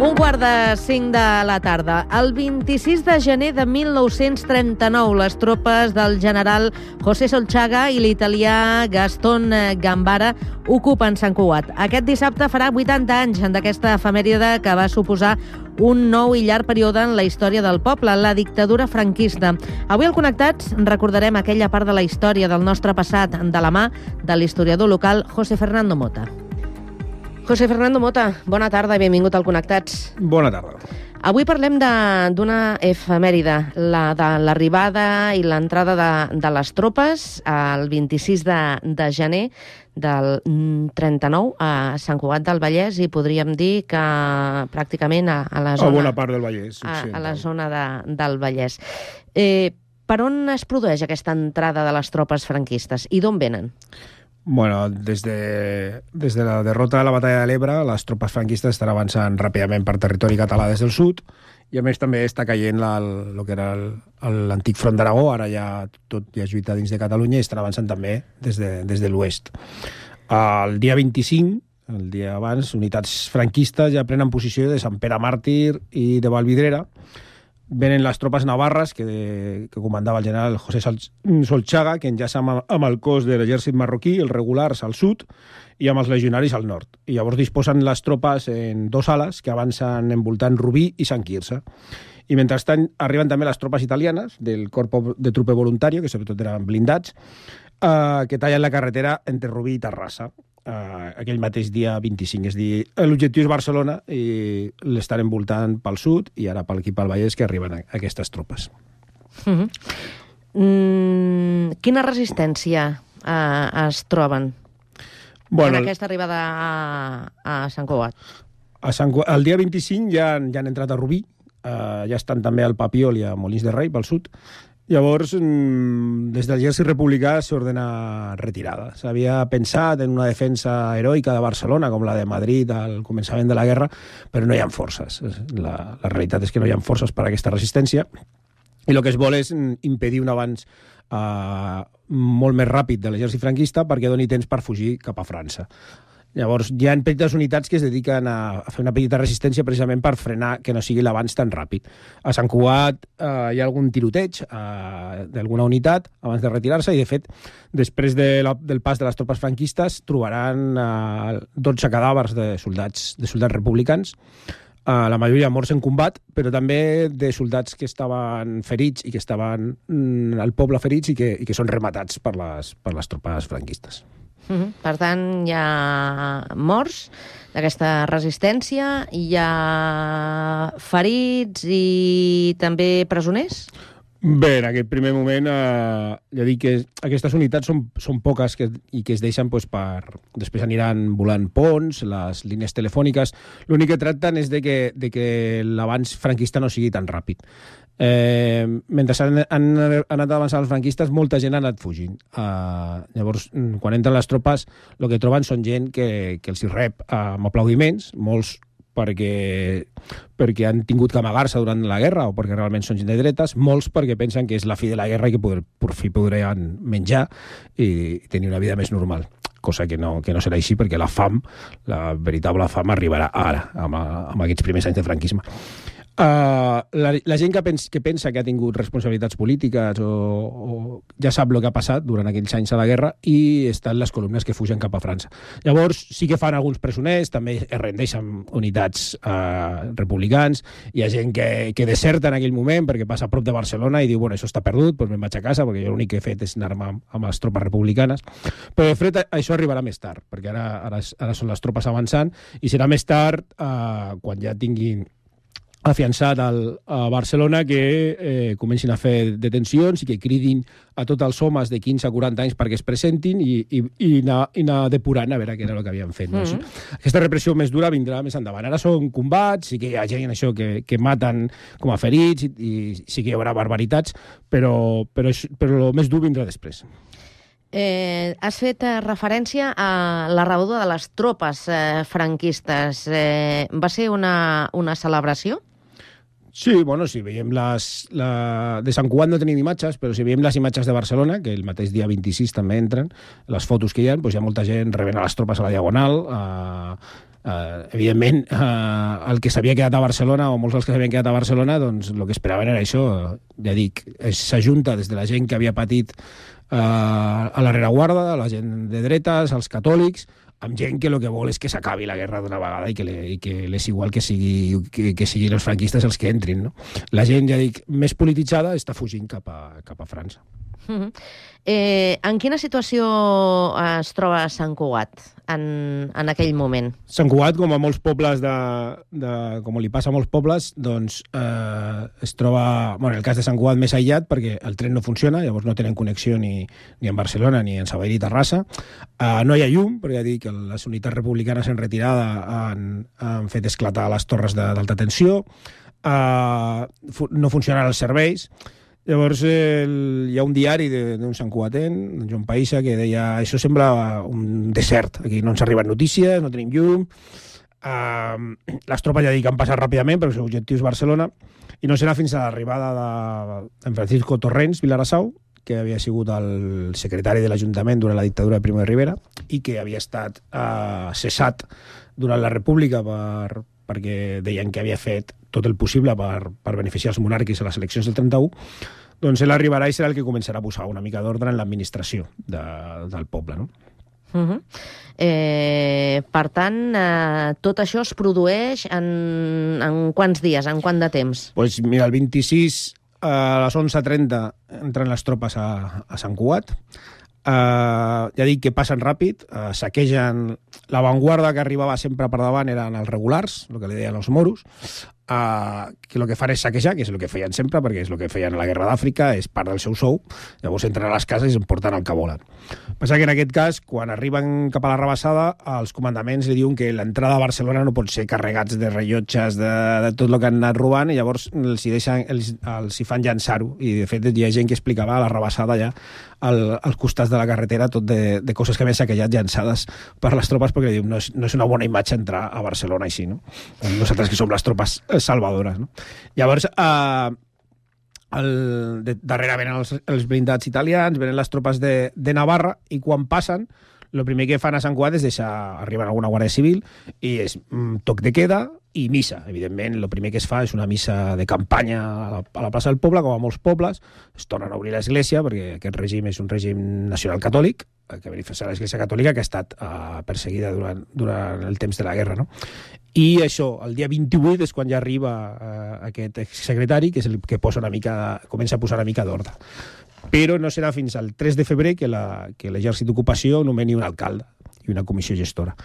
4:45 de la tarda. El 26 de gener de 1939, les tropes del general José Solchaga i l'italià Gaston Gambara ocupen Sant Cugat. Aquest dissabte farà 80 anys d'aquesta efemèride que va suposar un nou i llarg període en la història del poble, la dictadura franquista. Avui al Connectats recordarem aquella part de la història del nostre passat de la mà de l'historiador local José Fernando Mota. José Fernando Mota, bona tarda i benvingut al Connectats. Bona tarda. Avui parlem d'una efemèride, la de l'arribada i l'entrada de les tropes el 26 de gener del 39 a Sant Cugat del Vallès, i podríem dir que pràcticament a la zona... A bona part del Vallès. A la zona del Vallès. Per on es produeix aquesta entrada de les tropes franquistes i d'on venen? Bueno, des de la derrota de la batalla de l'Ebre, les tropes franquistes estan avançant ràpidament per territori català des del sud, i a més també està caient el que era l'antic front d'Aragó, ara ja tot ja és lluita dins de Catalunya, i estan avançant també des de l'oest. El dia 25, el dia abans, unitats franquistes ja prenen posició de Sant Pere Màrtir i de Vallvidrera. Venen les tropes navarres que comandava el general José Solchaga, que enllaça amb el cos de l'exèrcit marroquí, els regulars al sud, i amb els legionaris al nord. I llavors disposen les tropes en dos ales que avancen envoltant Rubí i Sant Quirze. I mentrestant arriben també les tropes italianes del Corpo de Trupe Voluntario, que sobretot eren blindats, que tallen la carretera entre Rubí i Terrassa aquell mateix dia 25. És a dir, l'objectiu és Barcelona i l'estan envoltant pel sud i ara aquí pel Vallès que arriben aquestes tropes. Quina resistència es troben en aquesta arribada a Sant Cugat? El dia 25 ja han entrat a Rubí, ja estan també al Papiol i a Molins de Rei pel sud. Llavors, des del l'exèrcit republicà s'ordena retirada. S'havia pensat en una defensa heroica de Barcelona, com la de Madrid al començament de la guerra, però no hi ha forces. La realitat és que no hi ha forces per a aquesta resistència, i el que es vol és impedir un avanç molt més ràpid de l'exèrcit franquista perquè doni temps per fugir cap a França. Llavors, hi ha petites unitats que es dediquen a fer una petita resistència precisament per frenar que no sigui l'avanç tan ràpid. A Sant Cugat hi ha algun tiroteig d'alguna unitat abans de retirar-se, i de fet, després del pas de les tropes franquistes trobaran 12 cadàvers de soldats republicans, la majoria morts en combat, però també de soldats que estaven ferits i que estaven al poble ferits i que són rematats per les tropes franquistes. Per tant, hi ha morts d'aquesta resistència, hi ha ferits i també presoners? Bé, en aquest primer moment, ja dic que aquestes unitats són poques i que es deixen després aniran volant ponts, les línies telefòniques. L'únic que tracten és de que l'avanç franquista no sigui tan ràpid. Mentre han anat avançant els franquistes, molta gent ha anat fugint. Llavors, quan entren les tropes, el que troben són gent que els hi rep amb aplaudiments, molts perquè han tingut que amagar-se durant la guerra o perquè realment són gent de dretes, molts perquè pensen que és la fi de la guerra i que per fi podran menjar i tenir una vida més normal, cosa que no serà així, perquè la fam, la veritable fam, arribarà ara, amb aquests primers anys de franquisme. La gent que pensa que ha tingut responsabilitats polítiques o ja sap el que ha passat durant aquells anys a la guerra i estan les columnes que fugen cap a França. Llavors sí que fan alguns presoners, també es rendeixen unitats republicans, hi ha gent que deserta en aquell moment perquè passa a prop de Barcelona i diu, bueno, això està perdut, doncs me'n vaig a casa perquè jo l'únic que he fet és anar-me amb les tropes republicanes. Però de fet això arribarà més tard, perquè ara són les tropes avançant i serà més tard quan ja tinguin afiançat a Barcelona que comencin a fer detencions i que cridin a tots els homes de 15 a 40 anys perquè es presentin i anar depurant a veure què era el que havien fet. No? Aquesta repressió més dura vindrà més endavant. Ara són combats, sí que hi ha gent això que maten com a ferits i sí que hi haurà barbaritats, però el més dur vindrà després. Has fet referència a la rebuda de les tropes franquistes. Va ser una celebració? Sí, bueno, si veiem de Sant Cugat no tenim imatges, però si veiem les imatges de Barcelona, que el mateix dia 26 també entren, les fotos que hi ha, doncs hi ha molta gent rebent a les tropes a la Diagonal, Evidentment, el que s'havia quedat a Barcelona, o molts dels que s'havien quedat a Barcelona, doncs el que esperaven era això. Ja dic, s'ajunta des de la gent que havia patit a la rereguarda, la gent de dretes, els catòlics, amb gent que el que vol és que s'acabi la guerra d'una vegada i que l'és igual que siguin els franquistes els que entrin. No? La gent, ja dic, més polititzada està fugint cap a França. En quina situació es troba Sant Cugat en aquell moment? Sant Cugat, com a molts pobles com li passa a molts pobles, doncs es troba, en el cas de Sant Cugat, més aïllat perquè el tren no funciona, llavors no tenen connexió ni en Barcelona ni en Sabadell i Terrassa. No hi ha llum, perquè ja dic que les unitats republicanes en retirada han fet esclatar les torres d'alta tensió, no funcionen els serveis. Llavors hi ha un diari d'un santcugatenc, Joan Païssa, que deia això sembla un desert, aquí no ens arriben notícies, no tenim llum, les tropes ja dic han passat ràpidament perquè el seu objectiu és Barcelona, i no serà fins a l'arribada de Francisco Torrents Vilarassau, que havia sigut el secretari de l'Ajuntament durant la dictadura de Primo de Rivera i que havia estat cessat durant la República perquè deien que havia fet tot el possible per beneficiar els monàrquics a les eleccions del 31, doncs ell arribarà i serà el que començarà a posar una mica d'ordre en l'administració del poble, no? Per tant, tot això es produeix en quants dies, en quant de temps? Doncs mira, el 26 a les 11:30 entren les tropes a Sant Cugat. Ja dic que passen ràpid, saquegen l'avantguarda que arribava sempre per davant eren els regulars, el que li deien els moros, que el que fan és saquejar, que és el que feien sempre, perquè és el que feien a la Guerra d'Àfrica, és part del seu sou, llavors entren a les cases i es porten el que volen. Passa que en aquest cas, quan arriben cap a la rebassada, els comandaments li diuen que l'entrada a Barcelona no pot ser carregats de rellotges, de tot el que han anat robant, i llavors els hi fan llançar-ho, i de fet hi ha gent que explicava a la rebassada ja als costats de la carretera tot de coses que havien saquejat llançades per les tropes, perquè diu, no és una bona imatge entrar a Barcelona així, no? Nosaltres que som les tropes salvadores, no? Llavors, darrere venen els blindats italians, venen les tropes de Navarra, i quan passen, el primer que fan a Sant Cugat és arriben alguna guàrdia civil, i és toc de queda i missa. Evidentment, el primer que es fa és una missa de campanya a la plaça del poble, com a molts pobles. Es tornen a obrir l'església, perquè aquest règim és un règim nacional catòlic, que beneficia l'església catòlica, que ha estat perseguida durant el temps de la guerra, no? I això, el dia 28 és quan ja arriba aquest exsecretari, que és el que comença a posar una mica d'ordre. Però no serà fins al 3 de febrer que l'exèrcit d'ocupació nomeni un alcalde i una comissió gestora.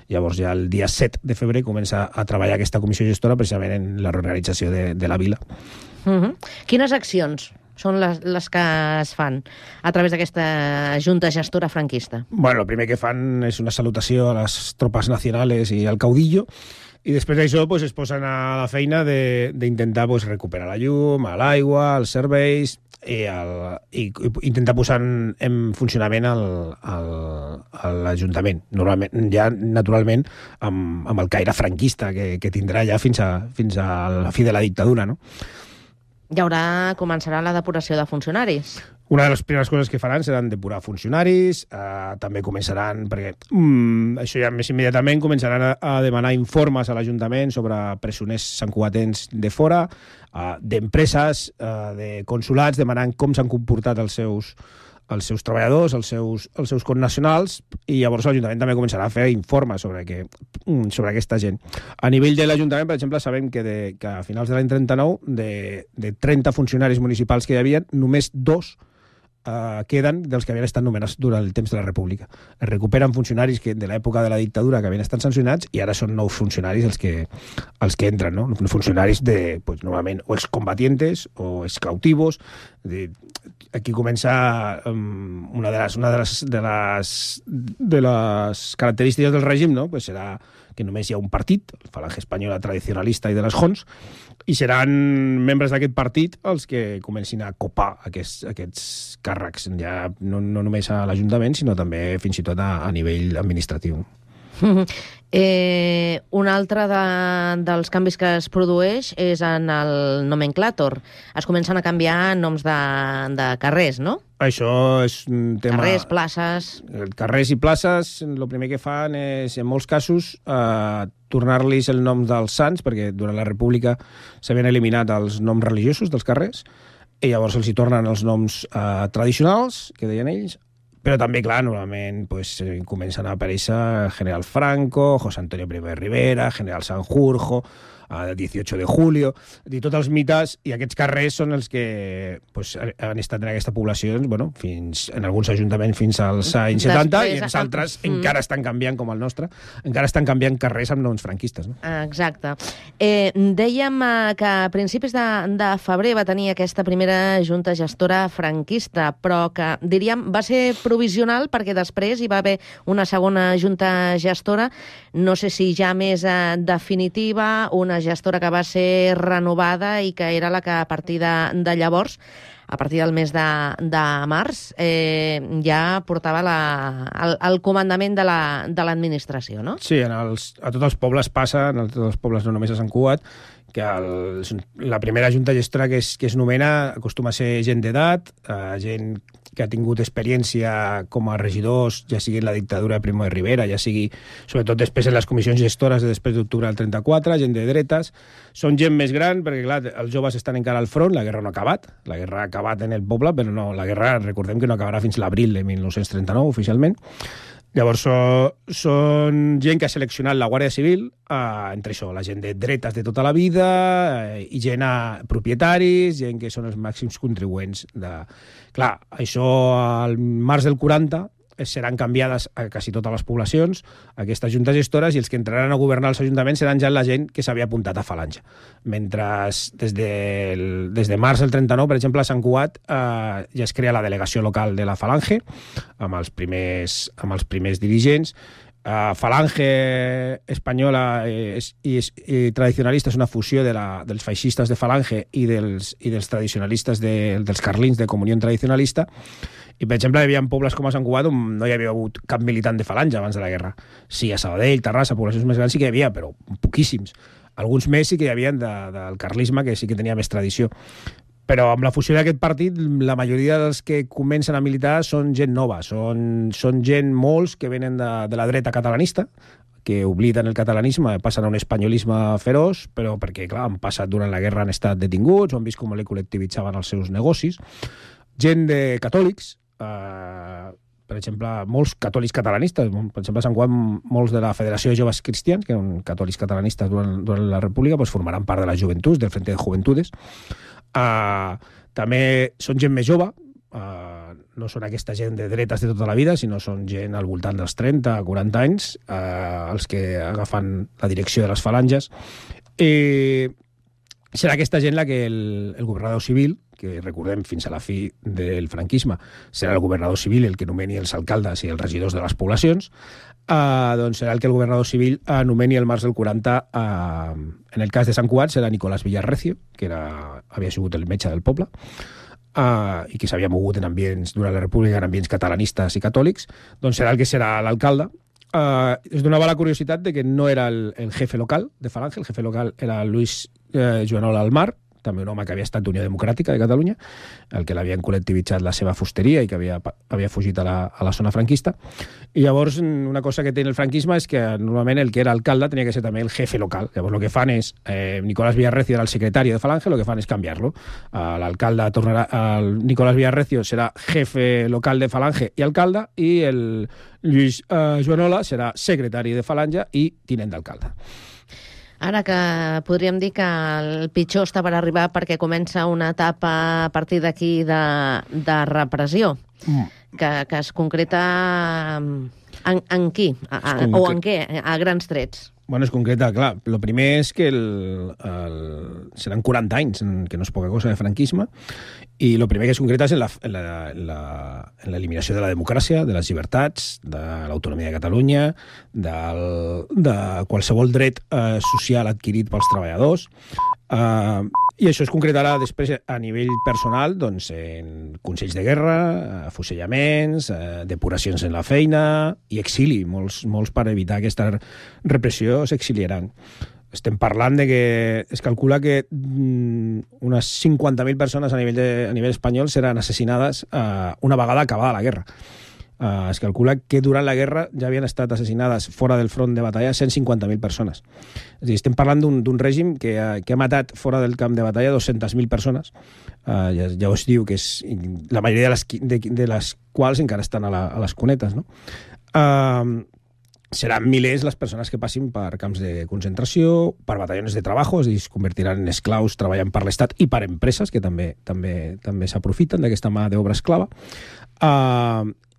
Llavors ja el dia 7 de febrer comença a treballar aquesta comissió gestora precisament en la reorganització de la vila. Quines accions són les que es fan a través d'aquesta junta gestora franquista? Bueno, el primer que fan és una salutació a les tropes nacionales i al caudillo, i després d'això es posen a la feina d'intentar recuperar la llum, l'aigua, els serveis, i intentar posar en funcionament l'Ajuntament. Naturalment, amb el caire franquista que tindrà ja fins a la fi de la dictadura, no? Començarà la depuració de funcionaris. Una de les primeres coses que faran seran depurar funcionaris, també començaran, perquè això ja més immediatament, començaran a demanar informes a l'Ajuntament sobre presoners santcugatens de fora, d'empreses, de consulats, demanant com s'han comportat els seus treballadors, els seus connacionals, i llavors l'Ajuntament també començarà a fer informes sobre aquesta gent. A nivell de l'Ajuntament, per exemple, sabem que a finals de l'any 39, de 30 funcionaris municipals que hi havia, només 2 queden dels que havien estat nomenats durant el temps de la República. Es recuperen funcionaris de l'època de la dictadura que havien estat sancionats, i ara són nous funcionaris els que entren, no? Funcionaris normalment o excombatientes o excautivos. Aquí comença una de les característiques del règim, no? Serà que només hi ha un partit, el Falange Espanyola tradicionalista i de les Jons, i seran membres d'aquest partit els que comencin a copar aquests càrrecs, ja no només a l'Ajuntament, sinó també fins i tot a nivell administratiu. Un altre dels canvis que es produeix és en el nomenclàtor. Es comencen a canviar noms de carrers, no? Això és un tema... Carrers, places... Carrers i places, el primer que fan és, en molts casos, tornar-los el nom dels sants, perquè durant la República s'havien eliminat els noms religiosos dels carrers, i llavors els hi tornen els noms tradicionals, que deien ells, però també, clar, normalment comencen a aparèixer General Franco, José Antonio Primo de Rivera, General Sanjurjo, el 18 de julio, i tots els mites, i aquests carrers són els que han estat en aquesta població, en alguns ajuntaments fins als anys 70, i en altres encara estan canviant, com el nostre, encara estan canviant carrers amb noms franquistes. No? Exacte. Dèiem que a principis de febrer va tenir aquesta primera junta gestora franquista, però que, diríem, va ser provisional perquè després hi va haver una segona junta gestora, no sé si ja més definitiva, una gestora que va ser renovada i que era la que a partir de llavors, a partir del mes de març, ja portava el comandament de l'administració, no? Sí, a tots els pobles passa, a tots els pobles no només a Sant Cugat, que la primera junta gestora que es nomena acostuma a ser gent d'edat, gent que ha tingut experiència com a regidors, ja sigui en la dictadura de Primo de Rivera, ja sigui, sobretot després en les comissions gestores de després d'octubre del 34, gent de dretes. Són gent més gran, perquè, clar, els joves estan encara al front, la guerra no ha acabat, la guerra ha acabat en el poble, però no, la guerra, recordem que no acabarà fins l'abril de 1939, oficialment. Llavors, són gent que ha seleccionat la Guàrdia Civil, entre això, la gent de dretes de tota la vida, i gent propietaris, gent que són els màxims contribuents. Clar, això al març del 40 seran canviades a quasi totes les poblacions, aquestes juntes gestores, i els que entraran a governar els ajuntaments seran ja la gent que s'havia apuntat a Falange. Mentre des de març del 39, per exemple, a Sant Cugat ja es crea la delegació local de la Falange, amb els primers dirigents. Falange espanyola i tradicionalista és una fusió dels feixistes de Falange i dels tradicionalistes dels carlins de Comunió Tradicionalista. I, per exemple, hi havia pobles com a Sant Cugat on no hi havia hagut cap militant de Falange abans de la guerra. Sí, a Sabadell, Terrassa, poblacions més grans sí que hi havia, però poquíssims. Alguns més sí que hi havia del carlisme, que sí que tenia més tradició. Però amb la fusió d'aquest partit, la majoria dels que comencen a militar són gent nova, són gent molts que venen de la dreta catalanista, que obliden el catalanisme, passen a un espanyolisme feroç, però perquè, clar, han passat durant la guerra, han estat detinguts, o han vist com li col·lectivitzaven els seus negocis. Gent de catòlics, per exemple, molts catòlics catalanistes, per exemple, a Sant Cugat, molts de la Federació de Joves Cristians, que eren catòlics catalanistes durant la República, formaran part de les joventuts, del Frente de Juventudes. També són gent més jove, no són aquesta gent de dretes de tota la vida, sinó són gent al voltant dels 30, 40 anys, els que agafen la direcció de les falanges. Serà aquesta gent la que el governador civil, que recordem fins a la fi del franquisme, serà el governador civil el que nomeni els alcaldes i els regidors de les poblacions, doncs serà el que el governador civil nomeni el març del 40. En el cas de Sant Cugat serà Nicolás Villarrecio, que havia sigut el metge del poble, i que s'havia mogut en ambients, durant la República, en ambients catalanistes i catòlics, doncs serà el que serà l'alcalde. Es donava la curiositat de que no era el jefe local de Falange, el jefe local era Luis Joanola Almar, també un home que havia estat d'Unió Democràtica de Catalunya, el que l'havien col·lectivitzat la seva fusteria i que havia fugit a la zona franquista. I llavors una cosa que té el franquisme és que normalment el que era alcalde tenia que ser també el jefe local. Llavors el que fan és, Nicolás Villarrecio era el secretari de Falange, el que fan és canviar-lo. L'alcalde tornarà, Nicolás Villarrecio serà jefe local de Falange i alcalde, i el Lluís Joanola serà secretari de Falange i tinent d'alcalde. Ara que podríem dir que el pitjor està per arribar perquè comença una etapa a partir d'aquí de repressió, que es concreta en qui? O en què? A grans trets. Bueno, es concreta, clar. El primer és que seran 40 anys, que no és poca cosa de franquisme, i el primer que es concreta és en l'eliminació de la democràcia, de les llibertats, de l'autonomia de Catalunya, de qualsevol dret social adquirit pels treballadors. I això es concretarà després a nivell personal doncs, en consells de guerra, afusellaments, depuracions en la feina i exili. Molts per evitar aquesta repressió s'exiliaran. Estem parlant de que es calcula que unes 50.000 persones a nivell espanyol seran assassinades una vegada acabada la guerra. Es calcula que durant la guerra ja havien estat assassinades fora del front de batalla 150.000 persones. És a dir, estem parlant d'un règim que ha matat fora del camp de batalla 200.000 persones. Ja us diu que és la majoria de les quals encara estan a les cunetes, no? Seran milers les persones que passin per camps de concentració, per batallones de treball, és a dir, es convertiran en esclaus treballant per l'Estat i per empreses, que també s'aprofiten d'aquesta mà d'obra esclava.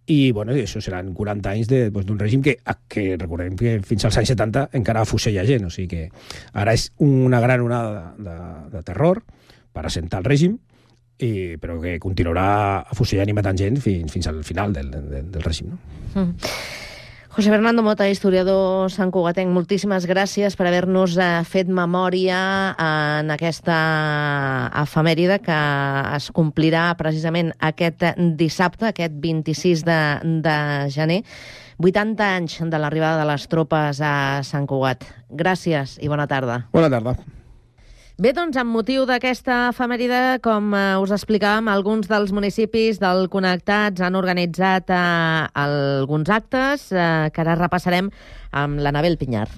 I això seran 40 anys d'un règim que recordem que fins als anys 70 encara afusella gent, o sigui que ara és una gran onada de terror per assentar el règim, però que continuarà afusellant i matant gent fins al final del règim. No? José Fernando Mota, historiador santcugatenc, moltíssimes gràcies per haver-nos fet memòria en aquesta efemèride que es complirà precisament aquest dissabte, aquest 26 de gener, 80 anys de l'arribada de les tropes a Sant Cugat. Gràcies i bona tarda. Bona tarda. Bé, doncs, amb motiu d'aquesta efemèride, com us explicàvem, alguns dels municipis del Connectats han organitzat alguns actes que ara repassarem amb l'Anabel Pinyar.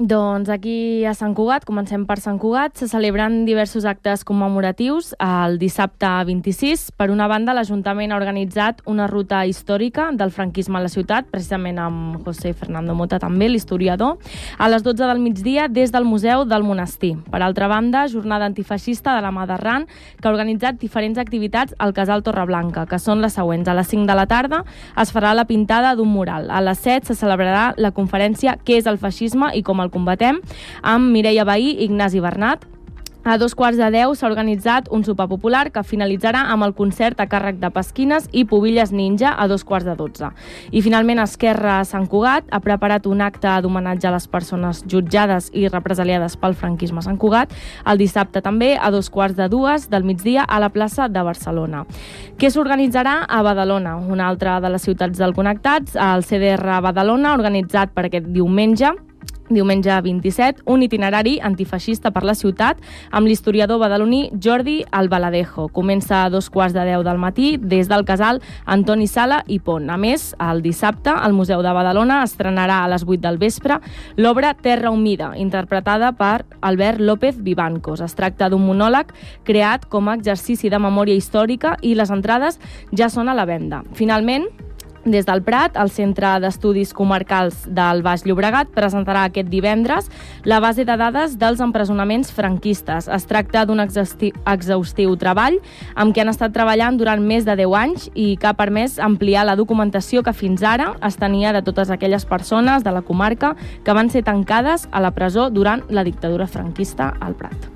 Doncs aquí a Sant Cugat, comencem per Sant Cugat, se celebren diversos actes commemoratius el dissabte 26. Per una banda, l'Ajuntament ha organitzat una ruta històrica del franquisme a la ciutat, precisament amb José Fernando Mota també, l'historiador, a les 12 del migdia des del Museu del Monestir. Per altra banda, jornada antifeixista de la mà d'Arran, que ha organitzat diferents activitats al Casal Torreblanca, que són les següents. A les 5 de la tarda es farà la pintada d'un mural. A les 7 se celebrarà la conferència Què és el feixisme i com el combatem, amb Mireia Bahí i Ignasi Bernat. A 9:15 s'ha organitzat un sopar popular que finalitzarà amb el concert a càrrec de Pasquines i Pubilles Ninja a 9:15. I finalment Esquerra Sant Cugat ha preparat un acte d'homenatge a les persones jutjades i represaliades pel franquisme a Sant Cugat el dissabte també a 2:15 del migdia a la plaça de Barcelona. Què s'organitzarà a Badalona, una altra de les ciutats del Connectats? El CDR Badalona ha organitzat per aquest diumenge 27, un itinerari antifeixista per la ciutat amb l'historiador badaloní Jordi Albaladejo. Comença a 9:15 del matí des del casal Antoni Sala i Pont. A més, el dissabte, al Museu de Badalona estrenarà a les 8 del vespre l'obra Terra Humida, interpretada per Albert López Vivancos. Es tracta d'un monòleg creat com a exercici de memòria històrica i les entrades ja són a la venda. Finalment, des del Prat, el Centre d'Estudis Comarcals del Baix Llobregat presentarà aquest divendres la base de dades dels empresonaments franquistes. Es tracta d'un exhaustiu treball amb què han estat treballant durant més de 10 anys i que ha permès ampliar la documentació que fins ara es tenia de totes aquelles persones de la comarca que van ser tancades a la presó durant la dictadura franquista al Prat.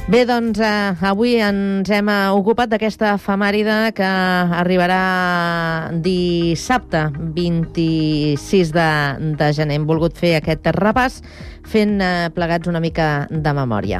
Bé, doncs avui ens hem ocupat d'aquesta efemèride que arribarà dissabte 26 de gener. Hem volgut fer aquest repàs fent plegats una mica de memòria.